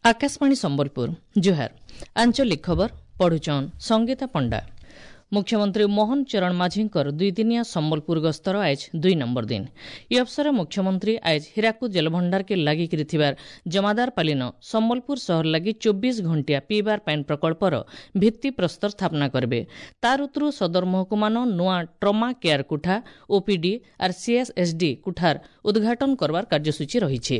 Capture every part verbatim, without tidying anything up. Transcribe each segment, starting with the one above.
ଆକାଶବାଣୀ ସମ୍ବଲପୁର ଜୁହାର ଆଞ୍ଚଳିକ ଖବର ପଢୁଛନ୍ ସଙ୍ଗୀତା ପଣ୍ଡା ମୁଖ୍ୟମନ୍ତ୍ରୀ ମୋହନ ଚରଣ ମାଝୀଙ୍କର ଦୁଇଦିନିଆ ସମ୍ବଲପୁର ଗସ୍ତର ଆଏଜ ଦୁଇ ନମ୍ବର ଦିନ ଇ ଅବସରରେ ମୁଖ୍ୟମନ୍ତ୍ରୀ ଆଏଜ ହୀରାକୁଦ ଜଳଭଣ୍ଡାରକେ ଲାଗିକିରି ଥିବାର ଜମାଦାରପାଲିନ ସମ୍ବଲପୁର ସହର ଲାଗି ଚବିଶ ଘଣ୍ଟିଆ ପିଇବାର ପାଏନ୍ ପ୍ରକଳ୍ପର ଭିତ୍ତିପ୍ରସ୍ତର ସ୍ଥାପନା କରିବେ ତାର ଉତରୁ ସଦର ମହକୁମାନ ନୂଆ ଟ୍ରମା କେୟାର କୁଠା ଓପିଡି ଆର୍ ସିଏସ୍ଏସ୍ଡି କୁଠାର ଉଦ୍ଘାଟନ କରବାର କାର୍ଯ୍ୟସୂଚୀ ରହିଛି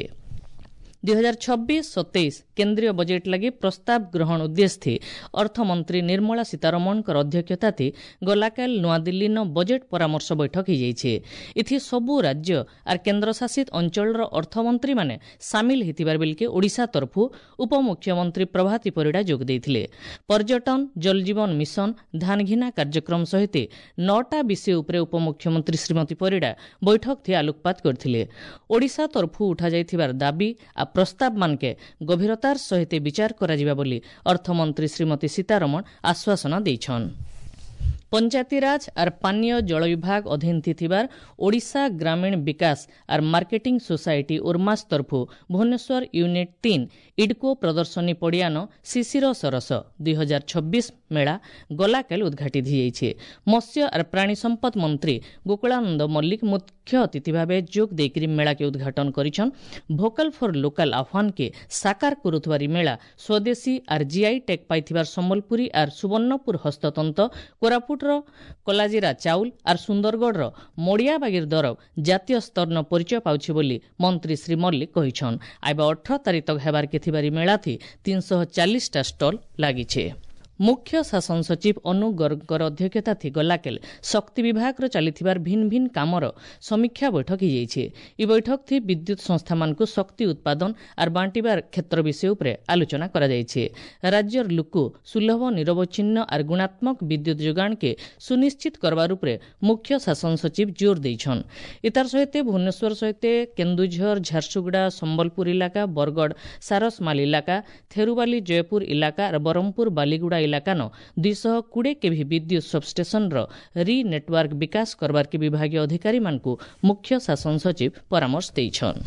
ଦୁଇ ହଜାର ଛବିଶ ସତେଇଶ କେନ୍ଦ୍ରୀୟ ବଜେଟ୍ ଲାଗି ପ୍ରସ୍ତାବ ଗ୍ରହଣ ଉଦ୍ଦେଶ୍ୟ ଅର୍ଥମନ୍ତ୍ରୀ ନିର୍ମଳା ସୀତାରମଣଙ୍କର ଅଧ୍ୟକ୍ଷତାଥି ଗଲାକାଲ ନୂଆଦିଲ୍ଲୀନ ବଜେଟ୍ ପରାମର୍ଶ ବୈଠକ ହୋଇଯାଇଛି ଏଥି ସବୁ ରାଜ୍ୟ ଆର୍ କେନ୍ଦ୍ରଶାସିତ ଅଞ୍ଚଳର ଅର୍ଥମନ୍ତ୍ରୀମାନେ ସାମିଲ ହୋଇଥିବାର ବେଲକେ ଓଡ଼ିଶା ତରଫୁ ଉପମୁଖ୍ୟମନ୍ତ୍ରୀ ପ୍ରଭାତୀ ପରିଡ଼ା ଯୋଗ ଦେଇଥିଲେ ପର୍ଯ୍ୟଟନ ଜଳଜୀବନ ମିଶନ ଧାନଘିନା କାର୍ଯ୍ୟକ୍ରମ ସହିତ ନଅଟା ବିଷୟ ଉପରେ ଉପମୁଖ୍ୟମନ୍ତ୍ରୀ ଶ୍ରୀମତୀ ପରିଡ଼ା ବୈଠକ ଥି ଆଲୋକପାତ କରିଥିଲେ ଓଡ଼ିଶା ତରଫୁ ଉଠାଯାଇଥିବାର ଦାବି ଆ ପ୍ରସ୍ତାବମାନକେ ଗଭୀରତାର ସହିତ ବିଚାର କରାଯିବା ବୋଲି ଅର୍ଥମନ୍ତ୍ରୀ ଶ୍ରୀମତୀ ସୀତାରମଣ ଆଶ୍ୱାସନା ଦେଇଛନ୍ ପଞ୍ଚାୟତିରାଜ ଆର୍ ପାନୀୟ ଜଳ ବିଭାଗ ଅଧୀନ ଥିବାର ଓଡ଼ିଶା ଗ୍ରାମୀଣ ବିକାଶ R marketing society ଉର୍ମାସ ତରଫୁ Bhubaneswar unit ତିନ୍ ଇଡ୍କୋ ପ୍ରଦର୍ଶନୀ ପଡ଼ିଆନ ଶିଶିର ସରସ ଦୁଇ ହଜାର ଛବିଶ ମେଳା ଗଲାକାଲି ଉଦ୍ଘାଟିତ ହୋଇଯାଇଛି ମତ୍ସ୍ୟ ଆର୍ ପ୍ରାଣୀ ସମ୍ପଦ ମନ୍ତ୍ରୀ ଗୋକୁଳାନନ୍ଦ ମଲ୍ଲିକ ମୁଖ୍ୟ ଅତିଥି ଭାବେ ଯୋଗ ଦେଇକରି ମେଳାକେ ଉଦ୍ଘାଟନ କରିଛନ୍ ଭୋକାଲ ଫର୍ ଲୋକାଲ ଆହ୍ୱାନକେ ସାକାର କରୁଥିବାର ଇ ମେଳା ସ୍ୱଦେଶୀ ଆର୍ ଜିଆଇ ଟ୍ୟାଗ୍ ପାଇଥିବାର ସମ୍ବଲପୁରୀ ଆର୍ ସୁବର୍ଣ୍ଣପୁର ହସ୍ତତନ୍ତ କୋରାପୁଟର କଲାଜିରା ଚାଉଲ ଆର୍ ସୁନ୍ଦରଗଡ଼ର ମଡ଼ିଆବାଗିର ଦରବ ଜାତୀୟ ସ୍ତରନ ପରିଚୟ ପାଉଛି ବୋଲି ମନ୍ତ୍ରୀ ଶ୍ରୀ ମଲ୍ଲିକ କହିଛନ୍ ଆଇବା ଅଠର ତାରିଖ ତକ ହେବାରକେ ଥିବାର ଇ ମେଳାଥି ତିନିଶହ ଚାଳିଶଟା ଷ୍ଟଲ୍ ଲାଗିছে ମୁଖ୍ୟ ଶାସନ ସଚିବ ଅନୁ ଗର୍ଗଙ୍କର ଅଧ୍ୟକ୍ଷତାଥି ଗଲାକେଲ ଶକ୍ତି ବିଭାଗର ଚାଲିଥିବାର ଭିନ୍ନ ଭିନ୍ନ କାମର ସମୀକ୍ଷା ବୈଠକ ହୋଇଯାଇଛି ଇ ବୈଠକ ଥି ବିଦ୍ୟୁତ ସଂସ୍ଥାମାନଙ୍କୁ ଶକ୍ତି ଉତ୍ପାଦନ ଆର୍ ବାଣ୍ଟିବାର କ୍ଷେତ୍ର ବିଷୟ ଉପରେ ଆଲୋଚନା କରାଯାଇଛି ରାଜ୍ୟର ଲୋକ ସୁଲଭ ନିରବଚ୍ଛିନ୍ନ ଆର୍ ଗୁଣାତ୍ମକ ବିଦ୍ୟୁତ ଯୋଗାଣକେ ସୁନିଶ୍ଚିତ କରବାର ଉପରେ ମୁଖ୍ୟ ଶାସନ ସଚିବ ଜୋର ଦେଇଛନ୍ ଇତାର ସହିତ ଭୁବନେଶ୍ୱର ସହିତ କେନ୍ଦୁଝର ଝାରସୁଗୁଡ଼ା ସମ୍ବଲପୁର ଇଲାକା ବରଗଡ଼ ସାରସମାଲ ଇଲାକା ଥେରୁବାଲି ଜୟପୁର ଇଲାକା ଆର୍ ବ୍ରହ୍ମପୁର ବାଲିଗୁଡ଼ା ଇଲାକାନ ଦୁଇଶହ କୋଡ଼ିଏ କେଭି ବିଦ୍ୟୁତ ସବଷ୍ଟେସନର ରି ନେଟୱାର୍କ ବିକାଶ କରବାର୍କେ ବିଭାଗୀୟ ଅଧିକାରୀମାନଙ୍କୁ ମୁଖ୍ୟ ଶାସନ ସଚିବ ପରାମର୍ଶ ଦେଇଛନ୍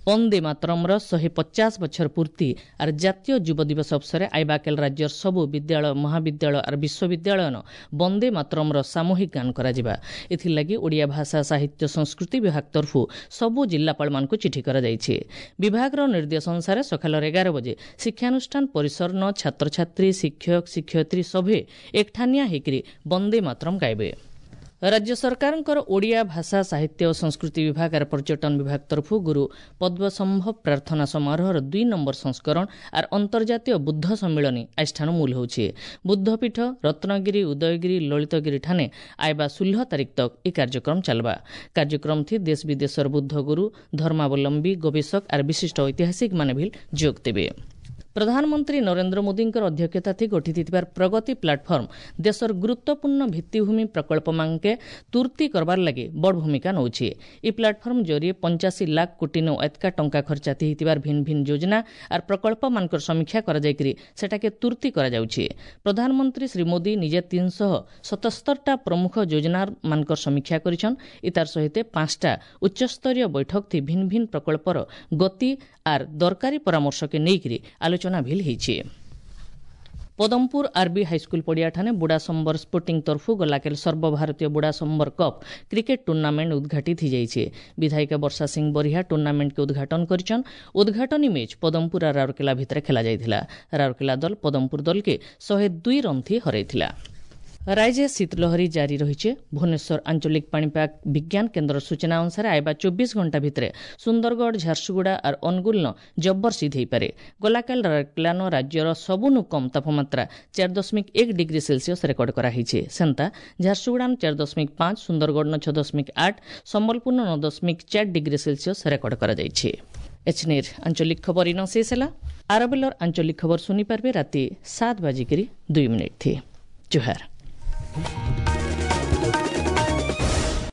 ବନ୍ଦେ ମାତରମ୍ର ଶହେ ପଚାଶ ବଛର ପୂର୍ତ୍ତି ଆର୍ ଜାତୀୟ ଯୁବ ଦିବସ ଅବସରରେ ଆଇବାକେଲ ରାଜ୍ୟର ସବୁ ବିଦ୍ୟାଳୟ ମହାବିଦ୍ୟାଳୟ ଆର୍ ବିଶ୍ୱବିଦ୍ୟାଳୟନ ବନ୍ଦେ ମାତରମ୍ର ସାମୂହିକ ଗାନ କରାଯିବା ଏଥିଲାଗି ଓଡ଼ିଆ ଭାଷା ସାହିତ୍ୟ ସଂସ୍କୃତି ବିଭାଗ ତରଫୁ ସବୁ ଜିଲ୍ଲାପାଳମାନଙ୍କୁ ଚିଠି କରାଯାଇଛି ବିଭାଗର ନିର୍ଦ୍ଦେଶ ଅନୁସାରେ ସକାଳର ଏଗାର ବଜେ ଶିକ୍ଷାନୁଷ୍ଠାନ ପରିସରନ ଛାତ୍ରଛାତ୍ରୀ ଶିକ୍ଷକ ଶିକ୍ଷୟିତ୍ରୀ ସଭେ ଏକଠାନିଆ ହେଇକରି ବନ୍ଦେ ମାତରମ୍ ଗାଇବେ ରାଜ୍ୟ ସରକାରଙ୍କର ଓଡ଼ିଆ ଭାଷା ସାହିତ୍ୟ ଓ ସଂସ୍କୃତି ବିଭାଗ ଆର୍ ପର୍ଯ୍ୟଟନ ବିଭାଗ ତରଫୁ ଗୁରୁ ପଦ୍ମସମ୍ଭବ ପ୍ରାର୍ଥନା ସମାରୋହର ଦୁଇ ନମ୍ବର ସଂସ୍କରଣ ଆର୍ ଅନ୍ତର୍ଜାତୀୟ ବୁଦ୍ଧ ସମ୍ମିଳନୀ ଆଜିଠାନୁ ମୂଲ ହେଉଛି ବୁଦ୍ଧପୀଠ ରତ୍ନଗିରି ଉଦୟଗିରି ଲଳିତଗିରି ଠାନେ ଆଇବା ଷୋହଳ ତାରିଖ ତକ ଏ କାର୍ଯ୍ୟକ୍ରମ ଚାଲବା କାର୍ଯ୍ୟକ୍ରମ ଥି ଦେଶ ବିଦେଶର ବୁଦ୍ଧ ଗୁରୁ ଧର୍ମାବଲମ୍ବୀ ଗବେଷକ ଆର୍ ବିଶିଷ୍ଟ ଐତିହାସିକମାନେ ବି ଯୋଗ ଦେବେ ପ୍ରଧାନମନ୍ତ୍ରୀ ନରେନ୍ଦ୍ର ମୋଦୀଙ୍କର ଅଧ୍ୟକ୍ଷତାଥି ଗଠିତ ଥିବାର ପ୍ରଗତି ପ୍ଲାଟଫର୍ମ ଦେଶର ଗୁରୁତ୍ୱପୂର୍ଣ୍ଣ ଭିତ୍ତିଭୂମି ପ୍ରକଳ୍ପମାନକେ ତୁର୍ତି କରବାର ଲାଗି ବଡ଼ ଭୂମିକା ନେଉଛି ଇ ପ୍ଲାଟଫର୍ମ ଜରିଏ ପଞ୍ଚାଅଶୀ ଲାଖ କୋଟି ନୁ ଏତକା ଟଙ୍କା ଖର୍ଚ୍ଚାତି ହେଇଥିବାର ଭିନ୍ନ ଭିନ୍ନ ଯୋଜନା ଆର୍ ପ୍ରକଳ୍ପମାନଙ୍କର ସମୀକ୍ଷା କରାଯାଇକରି ସେଟାକେ ତୁର୍ତି କରାଯାଉଛି ପ୍ରଧାନମନ୍ତ୍ରୀ ଶ୍ରୀ ମୋଦୀ ନିଜେ ତିନିଶହ ସତସ୍ତରଟା ପ୍ରମୁଖ ଯୋଜନାମାନଙ୍କର ସମୀକ୍ଷା କରିଛନ୍ ଇତାର ସହିତ ପାଞ୍ଚଟା ଉଚ୍ଚସ୍ତରୀୟ ବୈଠକ ଥି ଭିନ୍ନ ଭିନ୍ନ ପ୍ରକଳ୍ପର ଗତି ଆର୍ ଦରକାରୀ ପରାମର୍ଶକେ ନେଇକରି ଆଲୋଚନା ଭିଲ୍ ହେଇଛି ପଦମପୁର ଆର୍ବି ହାଇସ୍କୁଲ ପଡ଼ିଆଠାନେ ବୁଢ଼ାସମ୍ବର ସ୍ପୋର୍ଟିଂ ତରଫୁ ଗଲାକେଲ ସର୍ବଭାରତୀୟ ବୁଢ଼ାସମ୍ବର କପ୍ କ୍ରିକେଟ ଟୁର୍ଣ୍ଣାମେଣ୍ଟ ଉଦ୍ଘାଟିତ ହୋଇଯାଇଛି ବିଧାୟିକା ବର୍ଷା ସିଂ ବରିହା ଟୁର୍ଣ୍ଣାମେଣ୍ଟকে ଉଦ୍ଘାଟନ କରିଛନ୍ ଉଦ୍ଘାଟନୀ ମ୍ୟାଚ୍ ପଦମପୁର ଆର୍ ରାଉରକେଲା ଭିତରେ ଖେଳାଯାଇଥିଲା ରାଉରକେଲା ଦଳ ପଦମପୁର ଦଳକେ ଶହେ ଦୁଇ ରନ୍ ଥି ହରାଇଥିଲା ରାଜ୍ୟ ଶୀତଲହରୀ ଜାରି ରହିছে ଭୁବନେଶ୍ୱର ଆଞ୍ଚଳିକ ପାଣିପାଗ ବିଜ୍ଞାନ କେନ୍ଦ୍ର ସୂଚନା ଅନୁସାରେ ଆଇବା ଚବିଶ ଘଣ୍ଟା ଭିତରେ ସୁନ୍ଦରଗଡ଼ ଝାରସୁଗୁଡ଼ା ଆର୍ ଅନୁଗୁଳନ ଜବର ଶୀତ ହୋଇପାରେ ଗଲାକାଲ ରାଉରକେଲାନ ରାଜ୍ୟର ସବୁନୁ କମ୍ ତାପମାତ୍ରା ଚାରି ଦଶମିକ ଏକ ଡିଗ୍ରୀ ସେଲସିୟସ୍ ରେକର୍ଡ କରାହେଇছে ସେନ୍ତା ଝାରସୁଗୁଡ଼ାନ ଚାରି ଦଶମିକ ପାଞ୍ଚ ସୁନ୍ଦରଗଡ଼ନ ଛଅ ଦଶମିକ ଆଠ ସମ୍ବଲପୁରନ ନଅ ଦଶମିକ ଚାରି ଡିଗ୍ରୀ ସେଲସିୟସ୍ ରେକର୍ଡ କରାଯାଇଛି ଏଛନିର ଆଞ୍ଚଳିକ ଖବର ଇନ ଶେଷ ହେଲା ଆରବେଲର ଆଞ୍ଚଳିକ ଖବର ଶୁଣିପାରିବେ ରାତି ସାତ ବାଜିକିରି ଦୁଇ ମିନିଟ୍ ଥି ଜୁହାର